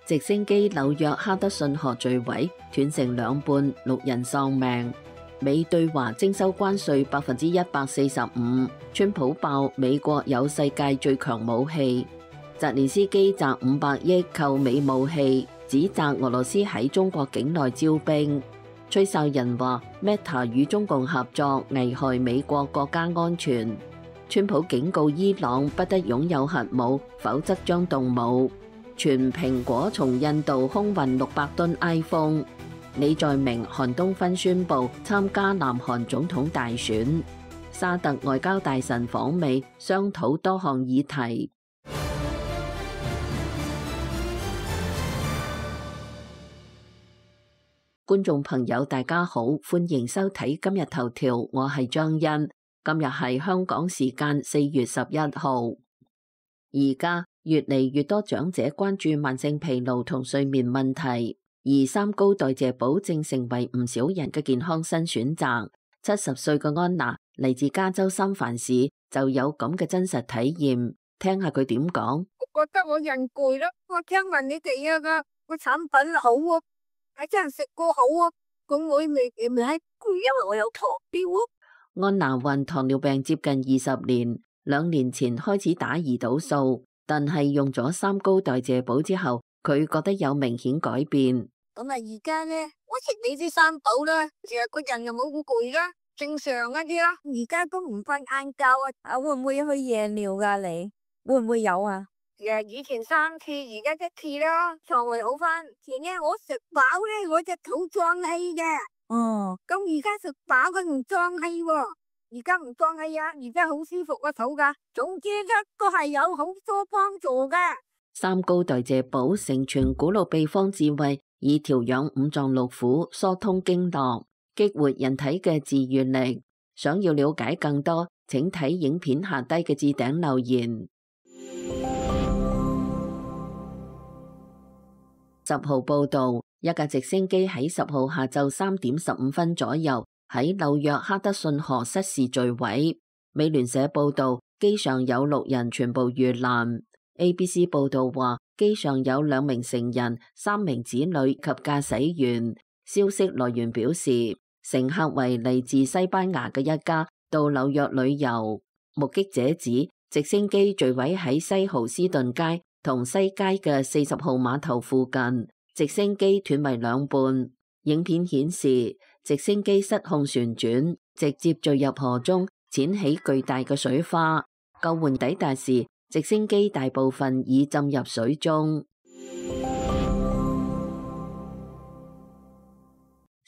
直升機紐約哈德遜河墜毀，斷成兩半，6人喪命。美對華徵收關稅145%，川普爆美國有世界最強武器。澤連斯基砸500億購美武器，指責俄羅斯喺中國境內招兵。吹哨人話 Meta 與中共合作危害美國國家安全。川普警告伊朗不得擁有核武，否則將動武。全蘋果從印度空運600噸 iPhone。李在明、韓東勳宣布參加南韓總統大選。沙特外交大臣訪美，商討多項議題。觀眾朋友大家好，歡迎收睇今日頭條，我係張欣。今日係香港時間4月11號。而家越嚟越多長者關注慢性疲勞同睡眠問題，而三高代謝寶正成為唔少人嘅健康新選擇。70歲嘅安娜嚟自加州三藩市，就有咁嘅真實體驗，聽下佢點講。我覺得我人攰咯，我聽聞你哋個產品好啊，係真係食過好啊，咁我未攰，因為我有糖尿啊。安娜患糖尿病接近20年，2年前開始打胰島素，但係用咗三高代謝寶之後，佢覺得有明顯改變。咁啊，而家咧，我食你啲三寶啦，其實個人又冇咁攰啦，正常一啲啦。而家都唔瞓晏覺啊，會唔會去夜尿噶？你會唔會有啊？以前3次，而家1次啦，腸胃好翻。前日我食飽咧，我隻肚脹氣嘅。哦，咁而家食飽佢唔脹氣喎，而家唔脹氣啊，而家好舒服個肚噶。總之咧，都係有好多幫助嘅。三高代謝寶承傳古老秘方智慧，以調養五臟六腑、疏通經絡、激活人體嘅自愈力。想要了解更多，請睇影片下低嘅置頂留言。10號報道，一架直升機喺10號下晝3點15分左右喺紐約哈德遜河失事墜毀。美聯社報道，機上有6人全部遇難。ABC 報道話，機上有2名成人、3名子女及駕駛員。消息來源表示，乘客為嚟自西班牙嘅一家，到紐約旅遊。目擊者指，直升機墜毀喺西豪斯頓街同西街嘅40號碼頭附近，直升機斷為兩半。影片顯示，直升機失控旋轉，直接墜入河中，濺起巨大嘅水花。救援抵達時，直升機大部分已浸入水中。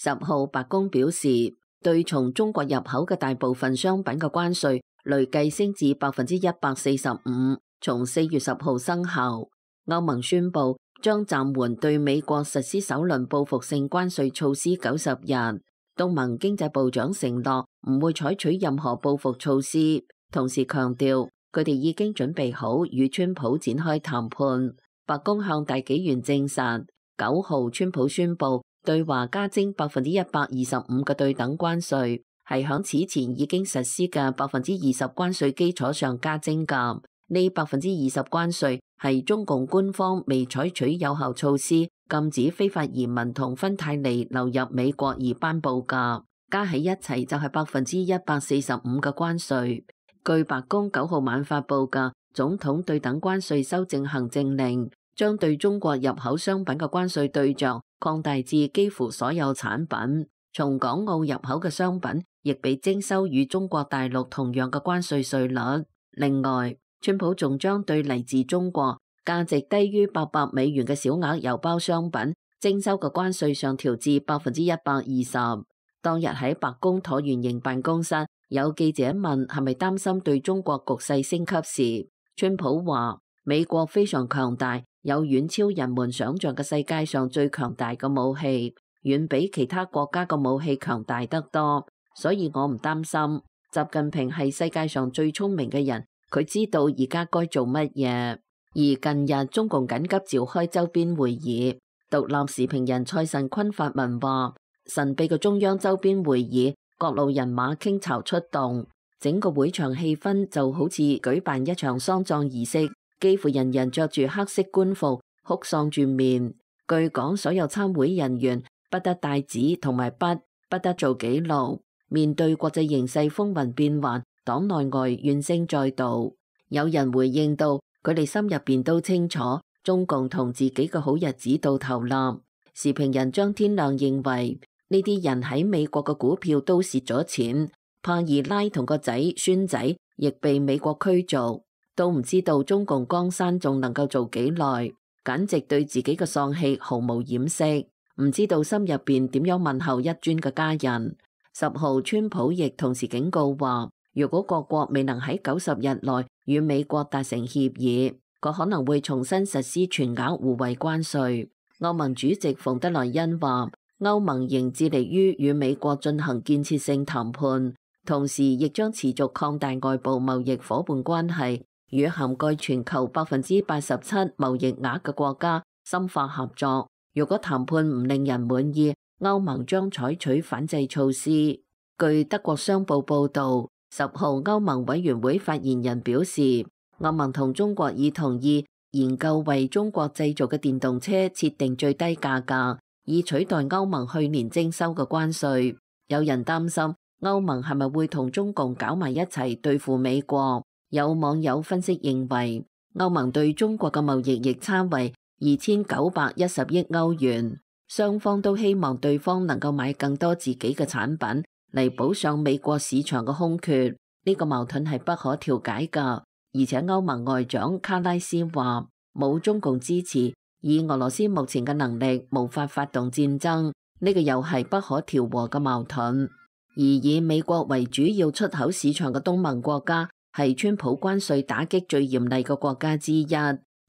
10號白宮表示，對從中國入口嘅大部分商品嘅關稅累計升至145%，從4月10號生效。歐盟宣布將暫緩對美國實施首輪報復性關稅措施90日。東盟經濟部長承諾唔會採取任何報復措施，同時強調佢哋已經準備好與川普展開談判。白宮向大紀元證實，9號川普宣布對華加徵125%嘅對等關稅，係響此前已經實施嘅20%關稅基礎上加徵㗎。呢20%關稅係中共官方未採取有效措施禁止非法移民同芬太尼流入美國而頒布㗎，加喺一齊就係145%嘅關稅。據白宮9號晚發布嘅總統對等關稅修正行政令，將對中國入口商品嘅關稅對象擴大至幾乎所有產品，從港澳入口嘅商品亦被徵收與中國大陸同樣嘅關稅稅率。另外，川普仲將對嚟自中國價值低於800美元嘅小額郵包商品徵收嘅關稅上調至120%。當日喺白宮橢圓形辦公室，有記者問係咪擔心對中國局勢升級時，川普話美國非常強大，有遠超人們想象嘅世界上最強大嘅武器，遠比其他國家嘅武器強大得多，所以我唔擔心。習近平係世界上最聰明嘅人，佢知道而家該做乜嘢。而近日中共緊急召開周邊會議，獨立時評人蔡慎坤發文話，神秘嘅中央周邊會議，各路人馬傾巢出動，整個會場氣氛就好似舉辦一場喪葬儀式，幾乎人人着住黑色官服，哭喪住面。據講，所有參會人員不得帶紙同埋筆，不得做記錄。面對國際形勢風雲變幻，黨內外怨聲載道。有人回應到，佢哋心入邊都清楚，中共同自己嘅好日子到頭啦。時評人張天亮認為，呢啲人喺美國嘅股票都蝕咗錢，帕爾拉同個仔孫仔亦被美國驅逐，都唔知道中共江山仲能夠做幾耐，簡直對自己嘅喪氣毫無掩飾，唔知道心入邊點樣問候一尊嘅家人。10號，川普亦同時警告話，如果各國未能喺90日內與美國達成協議，佢可能會重新實施全額互惠關稅。歐盟主席馮德萊恩話，歐盟仍致力於與美國進行建設性談判，同時亦將持續擴大外部貿易夥伴關係，與涵蓋全球87%貿易額嘅國家深化合作。如果談判唔令人滿意，歐盟將採取反制措施。據德國商報報導，10號歐盟委員會發言人表示，歐盟同中國已同意研究為中國製造嘅電動車設定最低價格，以取代歐盟去年徵收嘅關稅。有人擔心歐盟係咪會同中共搞埋一齊對付美國？有網友分析認為，歐盟對中國嘅貿易逆差為2910億歐元。雙方都希望對方能夠買更多自己嘅產品嚟補上美國市場嘅空缺，呢個矛盾係不可調解㗎。而且歐盟外長卡拉斯話，冇中共支持，以俄羅斯目前嘅能力無法發動戰爭，呢個又係不可調和嘅矛盾。而以美國為主要出口市場嘅東盟國家係川普關稅打擊最嚴厲嘅國家之一。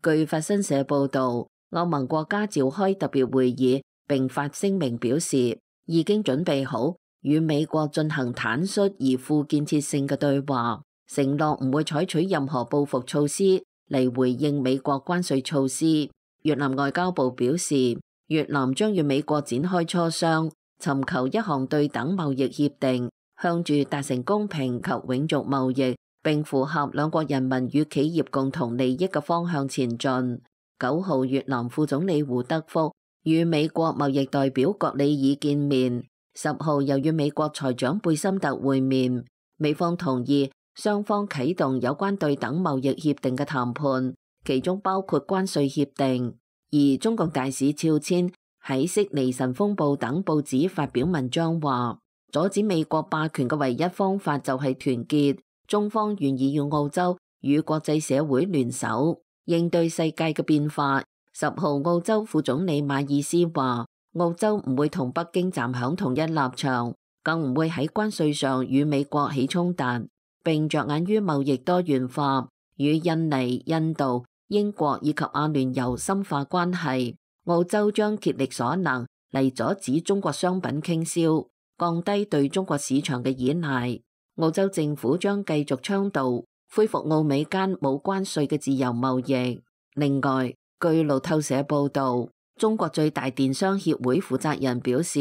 據法新社報導，歐盟國家召開特別會議，並發聲明表示已經準備好與美國進行坦率而富建設性嘅對話，承諾唔會採取任何報復措施嚟回應美國關稅措施。越南外交部表示，越南將與美國展開磋商，尋求一項對等貿易協定，向住達成公平及永續貿易並符合兩國人民與企業共同利益嘅方向前進。9號，越南副總理胡德福與美國貿易代表葛里爾見面。10號又與美國財長貝森特會面，美方同意雙方啟動有關對等貿易協定嘅談判，其中包括關稅協定。而中共大使肖千喺悉尼晨鋒報等報紙發表文章話，阻止美國霸權嘅唯一方法就係團結，中方願意與澳洲與國際社會聯手應對世界嘅變化。10號，澳洲副總理馬爾斯話，澳洲唔會同北京站響同一立場，更唔會喺關稅上與美國起衝突，並着眼於貿易多元化，與印尼、印度、英國以及阿聯酋深化關係。澳洲將竭力所能嚟阻止中國商品傾銷，降低對中國市場嘅依賴。澳洲政府將繼續倡導恢復澳美間冇關稅嘅自由貿易。另外，據路透社報導，中國最大電商協會負責人表示，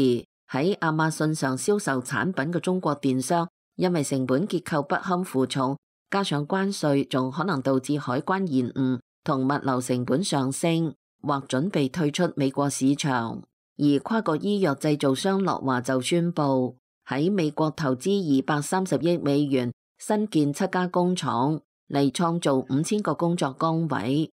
喺亞馬遜上銷售產品嘅中國電商，因為成本結構不堪負重，加上關稅，仲可能導致海關延誤同物流成本上升，或準備退出美國市場。而跨國醫藥製造商樂華就宣布喺美國投資230億美元新建7家工廠，嚟創造5000個工作崗位。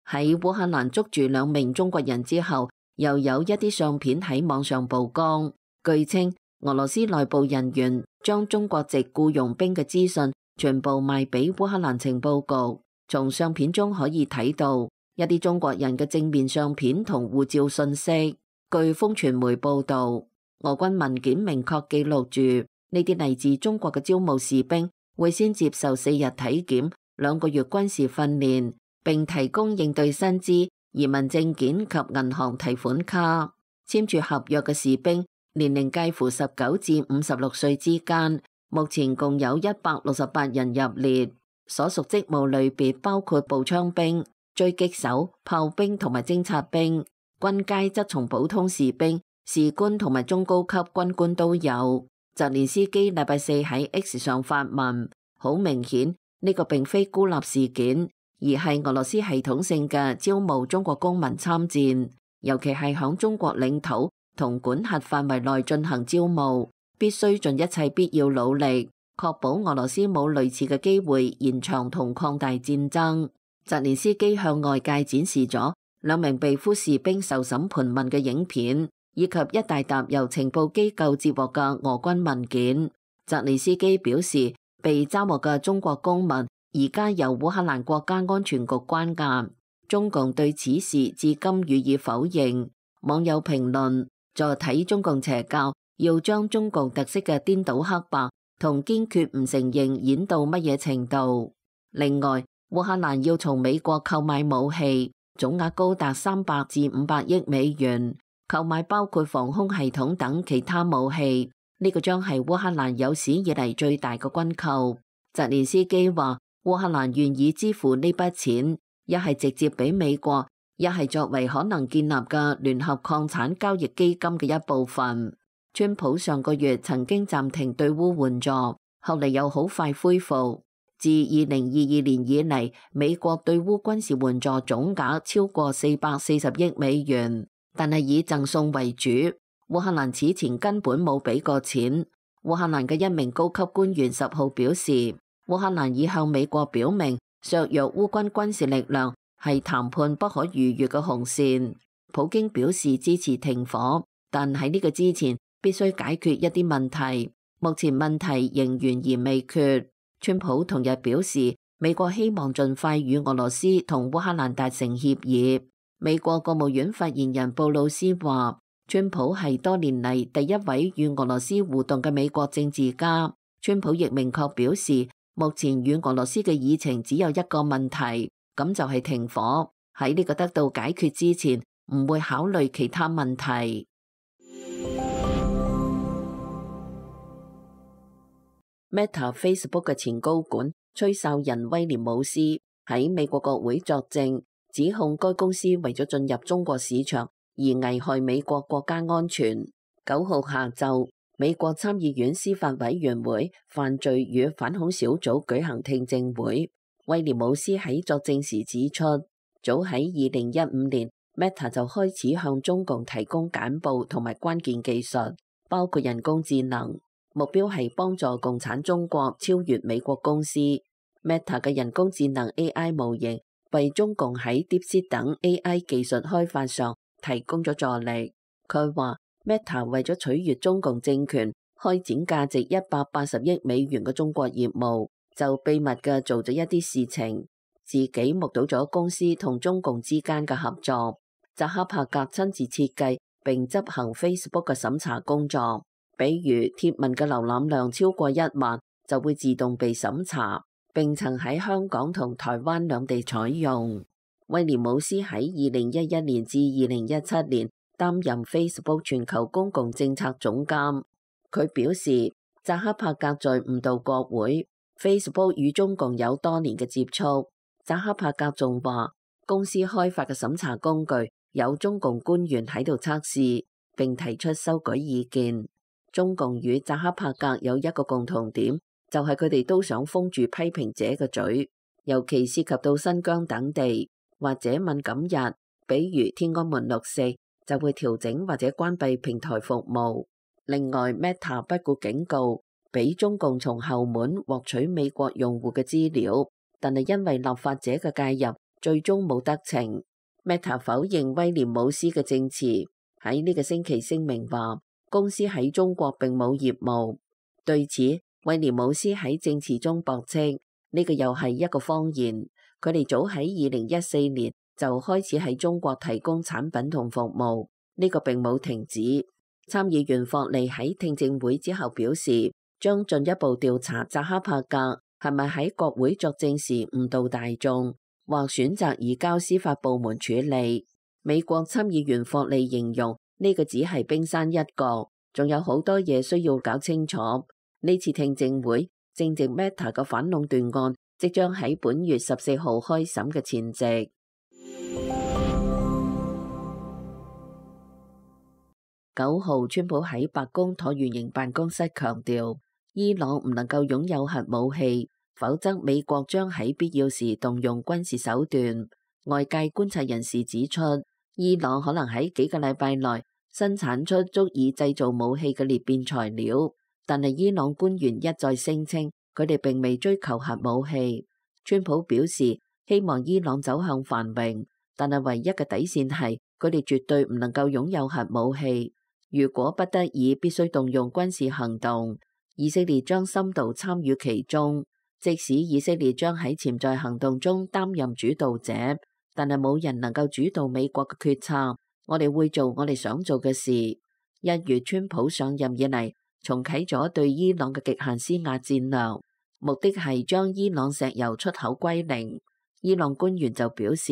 喺烏克蘭捉住2名中國人之後，又有一啲相片喺網上曝光。據稱，俄羅斯內部人員將中國籍僱傭兵嘅資訊全部賣俾烏克蘭情報局。從相片中可以睇到一啲中國人嘅正面相片同護照信息。據風傳媒報導，俄軍文件明確記錄住呢啲嚟自中國嘅招募士兵會先接受4日體檢、2個月軍事訓練，並提供應對薪資、移民證件及銀行提款卡。簽署合約嘅士兵年齡介乎19至56歲之間，目前共有168人入列。所屬職務類別包括步槍兵、狙擊手、炮兵同埋偵察兵。軍階則從普通士兵、士官同埋中高級軍官都有。澤連斯基禮拜4喺 X 上發文，好明顯呢個並非孤立事件，而係俄羅斯系統性嘅招募中國公民參戰，尤其係響中國領土同管轄範圍內進行招募，必須盡一切必要努力，確保俄羅斯冇類似嘅機會延長同擴大戰爭。澤連斯基向外界展示咗2名被俘士兵受審盤問嘅影片，以及一大沓由情報機構接獲嘅俄軍文件。澤連斯基表示，被抓獲嘅中國公民而家由烏克蘭國家安全局關押。中共對此事至今予以否認。網友評論：助睇中共邪教，要將中共特色嘅顛倒黑白同堅決唔承認演到乜嘢程度？另外，烏克蘭要從美國購買武器，總額高達300至500億美元，購買包括防空系統等其他武器。呢個將係烏克蘭有史以嚟最大嘅軍購。澤連斯基話：烏克蘭願意支付呢筆錢，一係直接俾美國，一係作為可能建立嘅聯合礦產交易基金嘅一部分。川普上個月曾經暫停對烏援助，後嚟又好快恢復。自2022年以嚟，美國對烏軍事援助總額超過440億美元，但係以贈送為主。烏克蘭此前根本冇俾過錢。烏克蘭嘅一名高級官員10號表示，烏克蘭已向美國表明，削弱烏軍軍事力量係談判不可逾越嘅紅線。普京表示支持停火，但喺呢個之前必須解決一啲問題。目前問題仍懸而未決。川普同日表示，美國希望盡快與俄羅斯同烏克蘭達成協議。美國國務院發言人布魯斯話，川普係多年嚟第一位與俄羅斯互動嘅美國政治家。川普亦明確表示，目前與俄羅斯嘅議程只有一個問題，咁就係停火。喺呢個得到解決之前，唔會考慮其他問題。Meta Facebook 嘅前高管吹哨人威廉姆斯喺美國國會作證，指控該公司為咗進入中國市場而危害美國國家安全。9號下晝，美國參議院司法委員會犯罪與反恐小組舉行聽證會。威廉姆斯喺作證時指出，早喺2015年 Meta 就開始向中共提供簡報同埋關鍵技術，包括人工智能。目標係幫助共產中國超越美國公司。Meta 嘅人工智能 AI 模型為中共喺 DeepSeek 等 AI 技術開發上提供咗助力。佢話 Meta 為咗取悦中共政權，開展價值180億美元嘅中國業務，就秘密嘅做咗一啲事情，自己目睹咗公司同中共之間嘅合作。扎克伯格親自設計並執行 Facebook 嘅審查工作。比如貼文嘅瀏覽量超過1萬，就會自動被審查，並曾喺香港同台灣兩地採用。威廉姆斯喺2011年至2017年擔任 Facebook 全球公共政策總監。佢表示，扎克伯格在誤導國會 ，Facebook 與中共有多年嘅接觸。扎克伯格仲話，公司開發嘅審查工具有中共官員喺度測試，並提出修改意見。中共與扎克伯格有一個共同點，就係佢哋都想封住批評者嘅嘴，尤其涉及到新疆等地或者敏感日，比如天安門6·4，就會調整或者關閉平台服務。另外 Meta 不顧警告，俾中共從後門獲取美國用戶嘅資料，但係因為立法者嘅介入，最終冇得逞。Meta 否認威廉姆斯嘅證詞，喺呢個星期聲明話，公司喺中國並冇業務。對此，威廉姆斯喺證詞中駁斥，呢個又係一個謊言。佢哋早喺2014年就開始喺中國提供產品同服務，呢個並冇停止。參議員霍利喺聽證會之後表示，將進一步調查扎克伯格係咪喺國會作證時誤導大眾，或選擇移交司法部門處理。美國參議員霍利形容，呢個只係冰山一角，仲有好多嘢需要搞清楚。呢次聽證會正值 Meta 嘅反壟斷案即將喺本月14號開審嘅前夕。9號，川普喺白宮橢圓形辦公室強調，伊朗唔能夠擁有核武器，否則美國將喺必要時動用軍事手段。外界觀察人士指出，伊朗可能喺幾個禮拜內生產出足以製造武器嘅裂變材料，但係伊朗官員一再聲稱佢哋並未追求核武器。川普表示希望伊朗走向繁榮，但係唯一嘅底線係佢哋絕對唔能夠擁有核武器。如果不得已必須動用軍事行動，以色列將深度參與其中。即使以色列將喺潛在行動中擔任主導者，但係冇人能夠主導美國嘅決策。我哋會做我哋想做嘅事。1月川普上任以嚟，重啟咗對伊朗嘅極限施壓戰略，目的係將伊朗石油出口歸零。伊朗官員就表示，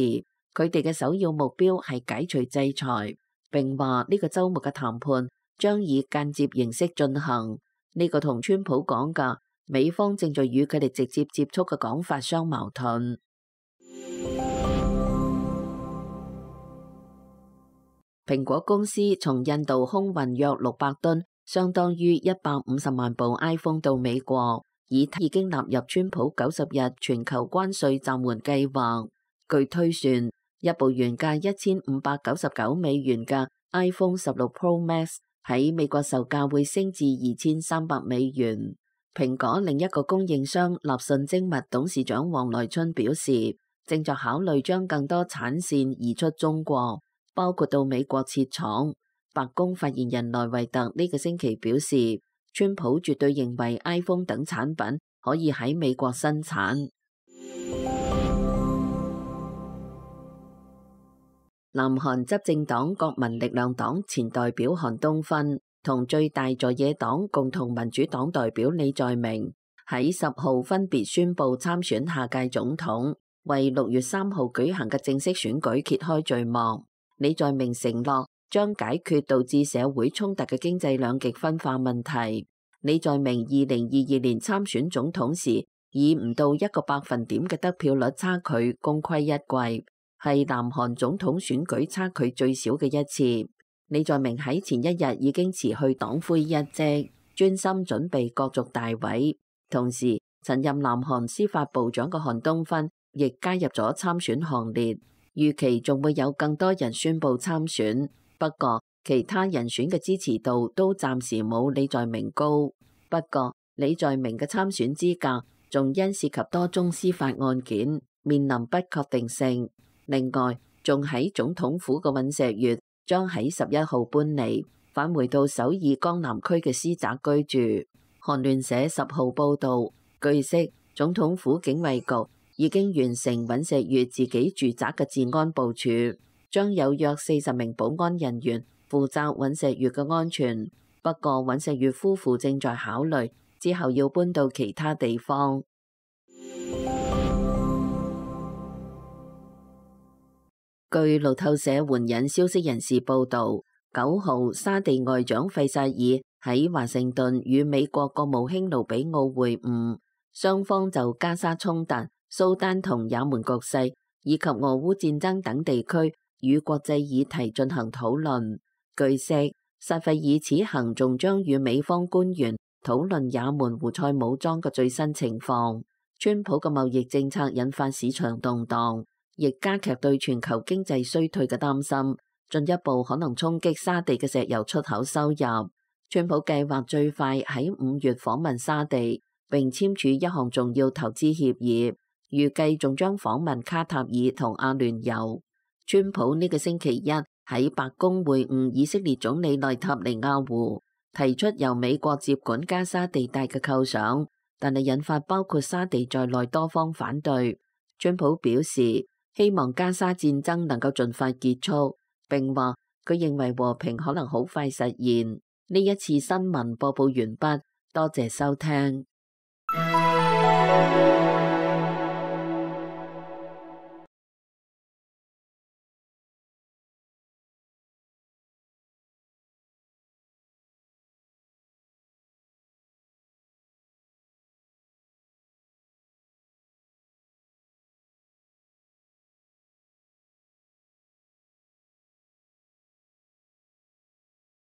佢哋嘅首要目標係解除制裁，並話呢個週末嘅談判將以間接形式進行。呢個同川普講嘅美方正在與佢哋直接接觸嘅講法相矛盾。蘋果公司從印度空運約600噸，相當於150萬部 iPhone 到美國，已經納入川普90日全球關稅暫緩計劃。據推算，一部原價$1599嘅 iPhone 16 Pro Max 喺美國售價會升至$2300。蘋果另一個供應商立訊精密董事長黃來春表示，正在考慮將更多產線移出中國，包括到美國設廠。白宮發言人萊維特呢個星期表示，川普絕對認為 iPhone 等產品可以喺美國生產。南韓執政黨國民力量黨前代表韓東勳同最大在野黨共同民主黨代表李在明喺10號分別宣布參選下屆總統，為6月3號舉行嘅正式選舉揭開序幕。李在明承諾將解決導致社會衝突嘅經濟兩極分化問題。李在明2022年參選總統時，以唔到1個百分點嘅得票率差距功虧一簣，係南韓總統選舉差距最少嘅一次。李在明喺前一日已經辭去黨魁一職，專心準備角逐大位。同時，曾任南韓司法部長嘅韓東勳亦加入咗參選行列，預期仲會有更多人宣布參選。不過，其他人選嘅支持度都暫時冇李在明高。不過，李在明嘅參選資格仲因涉及多宗司法案件，面臨不確定性。另外，仲喺總統府嘅尹錫悅將喺11號搬離，返回到首爾江南區嘅私宅居住。韓聯社10號報導，據悉總統府警衛局已經完成尹錫悅自己住宅嘅治安部署，將有約40名保安人員負責尹錫悅嘅安全。不過尹錫悅夫婦正在考慮之後要搬到其他地方。據路透社援引消息人士報導，9號沙地外長費薩爾喺華盛頓與美國國務卿盧比奧會晤，雙方就加沙衝突、蘇丹同也門局勢以及俄烏戰爭等地區與國際議題進行討論。據悉，薩費爾此行仲將與美方官員討論也門胡塞武裝嘅最新情況。川普嘅貿易政策引發市場動盪，亦加劇對全球經濟衰退嘅擔心，進一步可能衝擊沙地嘅石油出口收入。川普計劃最快喺5月訪問沙地，並簽署一項重要投資協議，預計仲將訪問卡塔爾同阿聯酋。川普呢個星期一喺白宮會晤以色列總理內塔尼亞胡，提出由美國接管加沙地帶嘅構想，但係引發包括沙地在內多方反對。川普表示希望加沙戰爭能夠盡快結束，並話佢認為和平可能好快實現。呢一次新聞播報完畢，多謝收聽。